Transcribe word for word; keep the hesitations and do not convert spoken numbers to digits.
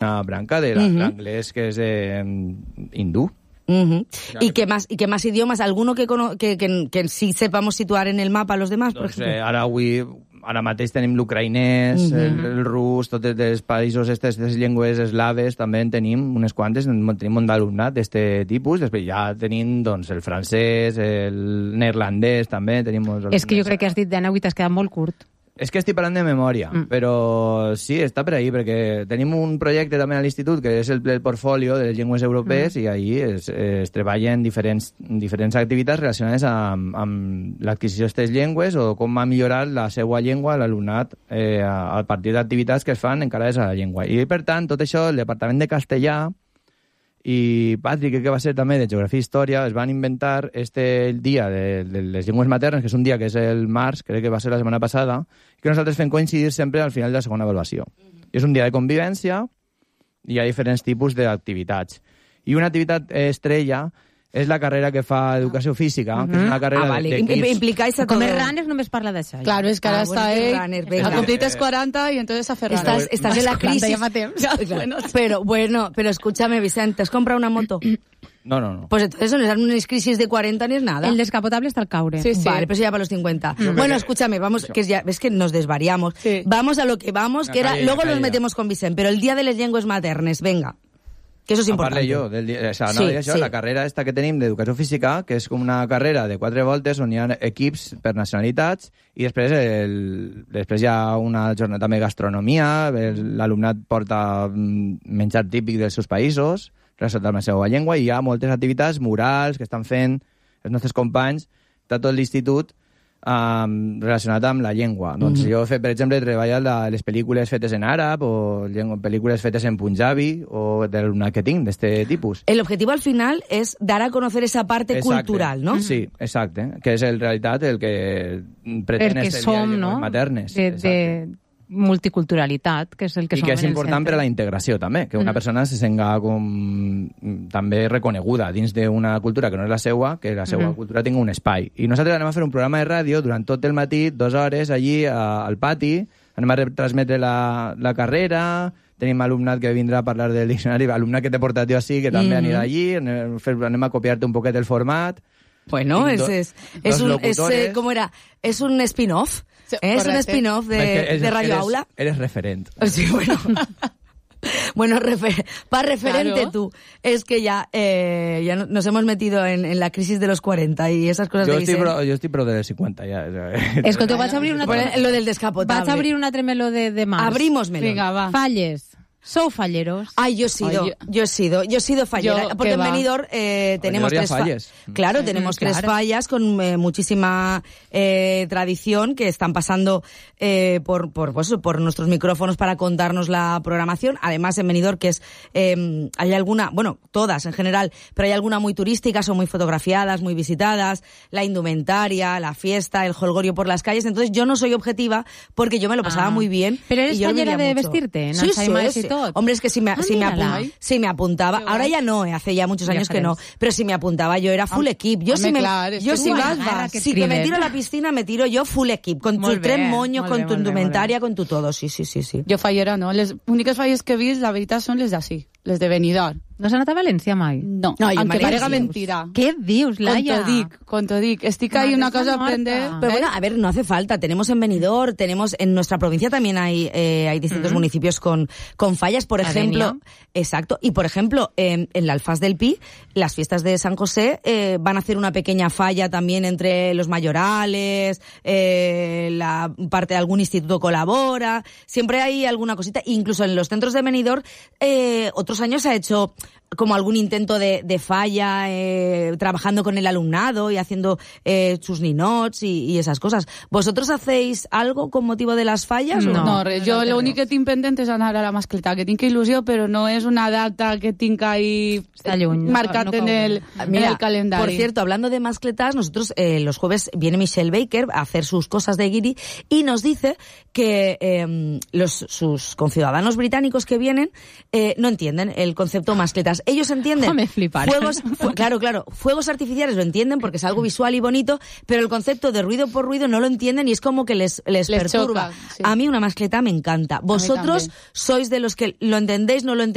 una branca de l'anglès uh-huh. que és eh, hindú. Uh-huh. ¿Y qué más y qué más idiomas? ¿Alguno que, que, que, que sí sepamos situar en el mapa a los demás, por doncs, ejemplo? Eh, ara avui... Ara mateix tenim l'ucraïnès, uh-huh. el, el rus, tots els països, aquestes llengües eslaves, també en tenim unes quantes, tenim un d'alumnat d'aquest tipus, després ja tenim doncs, el francès, el neerlandès, també tenim molts alumnes. És que jo crec que has dit d'Anna i t'has quedat molt curt. És que estic parlant de memòria, mm. però sí, està per ahí, perquè tenim un projecte també a l'institut que és el, el portfolio de les llengües europees mm. i ahí es, es treballen diferents, diferents activitats relacionades amb, amb l'adquisició d'aquestes llengües o com ha millorat la seva llengua l'alumnat eh, a, a partir d'activitats que es fan encarades a la llengua. I, per tant, tot això, el Departament de Castellà i Patrick, que va ser també de Geografia i Història, es van inventar este dia de, de les llengües maternes, que és un dia que és el març, crec que va ser la setmana passada, que nosaltres fem coincidir sempre al final de la segona avaluació. Mm-hmm. És un dia de convivència i hi ha diferents tipus d'activitats. I una activitat estrella és la carrera que fa Educació Física, mm-hmm. que és una carrera ah, vale. d'equips. Implicáis a Comer Runners només parla d'això. Claro, es que ahora ah, está bueno, él, ha cumplido cuarenta y entonces hace runner. Estás, estás en la crisis. Bueno, pero bueno, pero escúchame, Vicente, ¿te has comprado una moto? No, no, no. Pues entonces no es una crisis de cuarenta ni es nada. El descapotable está al caure. Sí, sí. Vale, pero eso ya para los cincuenta. Mm. Bueno, escúchame, vamos, que es ya, ves que nos desvariamos. Sí. Vamos a lo que vamos, que era, luego nos metemos con Vicente, pero el día de les llengües maternes, venga. Que eso és important. Parle jo, del, o sea, no, sí, això, sí. La carrera esta que tenim d'Educació Física, que és com una carrera de quatre voltes on hi ha equips per nacionalitats i després, el, després hi ha una jornada també de gastronomia, l'alumnat porta menjar típic dels seus països, relacionat amb la seva llengua, i hi ha moltes activitats murals que estan fent els nostres companys de tot l'institut Um, relacionat amb la llengua. Mm-hmm. Doncs jo, he fet, per exemple, he treballat la, les pel·lícules fetes en àrab o llengua, pel·lícules fetes en punjabi o de l'alumnat que tinc, d'este tipus. El objetivo al final es dar a conocer esa parte exacte. Cultural, ¿no? Sí, exacte. Que és en realitat el que pretén este som, dia de no? maternes. De, de multiculturalitat, que és el que I som que és en el important centre. per a la integració també, que una mm. persona se senga com també reconeguda dins d'una cultura que no és la seua, que la seua mm. cultura tingui un espai. I nosaltres anem a fer un programa de ràdio durant tot el matí, dues hores allí a, al pati, anem a retransmetre la, la carrera, tenim alumnat que vindrà a parlar del diccionari, alumnat que té portatiu així, que també mm. anirà allí, anem, anem a copiar-te un poquet el format. Bueno, es, es, es un, es, eh, ¿cómo era? Es un spin-off. Sí, ¿eh? Es un spin-off de, es, de Radio eres, Aula. Eres referent. Sí, bueno. Bueno, refer para referente claro. Tú. Es que ya, eh, ya nos hemos metido en, en la crisis de los cuarenta y esas cosas yo de estoy pro, Yo estoy pro de los cincuenta ya. Escolta, vas a abrir una... Lo del descapotable. Vas a abrir una tremelo de, de más. Abrimos melón. Venga, va. Falles. ¿Sou falleros? Ay, yo he sido, Ay, yo... yo he sido, yo he sido fallera. Yo, porque en Benidorm eh, tenemos tres fallas. Claro, sí, tenemos claro. tres fallas con eh, muchísima eh, tradición que están pasando eh, por, por, pues, por nuestros micrófonos para contarnos la programación. Además, en Benidorm, que es, eh, hay alguna, bueno, todas en general, pero hay alguna muy turísticas, son muy fotografiadas, muy visitadas, la indumentaria, la fiesta, el jolgorio por las calles. Entonces, yo no soy objetiva porque yo me lo pasaba ah. muy bien. Pero eres fallera de mucho. Vestirte, ¿no? Sí, sí, sí. Hombre, es que si me, ah, si me, apuntaba, si me apuntaba, ahora ya no, eh, hace ya muchos años ya que no, pero si me apuntaba yo era full equip. Yo si me, claro, yo si vas, vas. Si que me tiro a la piscina, me tiro yo full equip, con tus tres moños, con tu indumentaria, con tu todo, sí, sí, sí, sí. Jo fallera no, les úniques falles que he vist, la veritat, són les d'ací, les de Benidorm. No s'ha anat a València mai? No, no aunque parega mentira. ¿Qué dius, Laia? Con to dic, con to dic. Estic ahí una cosa a aprender. Pero bueno, a ver, no hace falta. Tenemos en Benidorm, tenemos en nuestra provincia también hay eh, hay distintos mm-hmm. municipios con, con fallas, por ejemplo. Adenia. Exacto. Y por ejemplo, eh, en la Alfaz del Pi, las fiestas de San José eh, van a hacer una pequeña falla también entre los mayorales, eh, la parte de algún instituto colabora. Siempre hay alguna cosita. Incluso en los centros de Benidorm, eh, otros años se ha hecho como algún intento de, de falla, eh, trabajando con el alumnado y haciendo eh, sus ninots y, y esas cosas. ¿Vosotros hacéis algo con motivo de las fallas? No, o no? no res. Jo no l'únic que tinc pendent és anar a la mascletà, que tinc il·lusió, però no és una data que tinc ahí marcat no, no en, el, Mira, en el calendario. Por cierto, hablando de mascletas, nosotros eh, los jueves viene Michelle Baker a hacer sus cosas de guiri y nos dice que eh, los sus conciudadanos británicos que vienen eh, no entienden el concepto mascletas. cosas. Ellos entienden... Me flipar. Fuegos, fu- claro, claro. Fuegos artificiales lo entienden porque es algo visual y bonito, pero el concepto de ruido por ruido no lo entienden y es como que les, les, les perturba. Choca, sí. A mí una mascleta me encanta. Vosotros sois de los que lo entendéis, no lo entendéis.